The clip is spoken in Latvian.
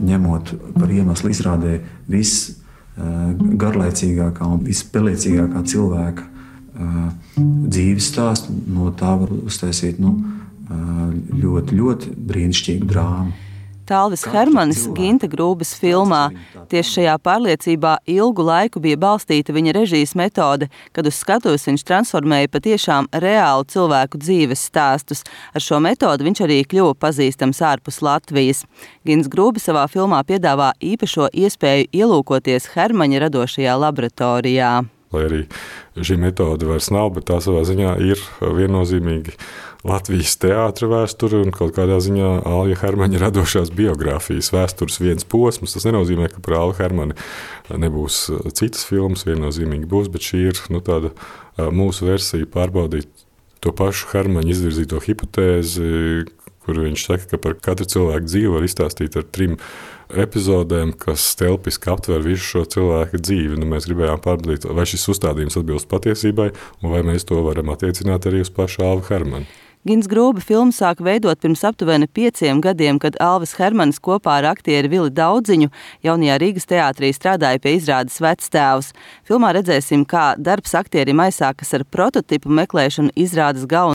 ņemot par iemeslu izrādē visgarlaicīgākā un vispelēcīgākā cilvēka dzīves stāstu, no tā var uztaisīt ļoti, ļoti brīnišķīgu drāmu. Talvis Hermanis Ginta Grūbes filmā. Tieši šajā pārliecībā ilgu laiku bija balstīta viņa režijas metode, kad uz skatuves viņš transformēja patiešām reālu cilvēku dzīves stāstus. Ar šo metodi viņš arī kļuva pazīstams ārpus Latvijas. Gints Grūbe savā filmā piedāvā īpašo iespēju ielūkoties Hermaņa radošajā laboratorijā. Lai arī šī metode vairs nav, bet tā savā ziņā ir viennozīmīgi Latvijas teātra vēsture un kaut kādā ziņā Alja Hermaņa radošās biogrāfijas vēstures viens posms. Tas nenozīmē, ka par Alju Hermani nebūs citas filmas, viennozīmīgi būs, bet šī ir tāda mūsu versija pārbaudīt to pašu Hermaņa izvirzīto hipotēzi, kur viņš saka, ka par katru cilvēku dzīvi var izstāstīt ar 3 epizodēm, kas telpiski aptver visu šo cilvēku dzīvi. Mēs gribējām pārbaudīt, vai šis uzstādījums atbilst patiesībai, un vai mēs to varam attiecināt arī uz pašu Alvu Hermani. Gints Grūbe filmu sāka veidot pirms aptuveni 5 gadiem, kad Alvis Hermanis kopā ar aktieri Vili Daudziņu jaunajā Rīgas teātrī strādāja pie izrādes Vectēvs. Filmā redzēsim, kā darbs aktierim aizsākas ar prototipu meklēšanu izrādes galvenajā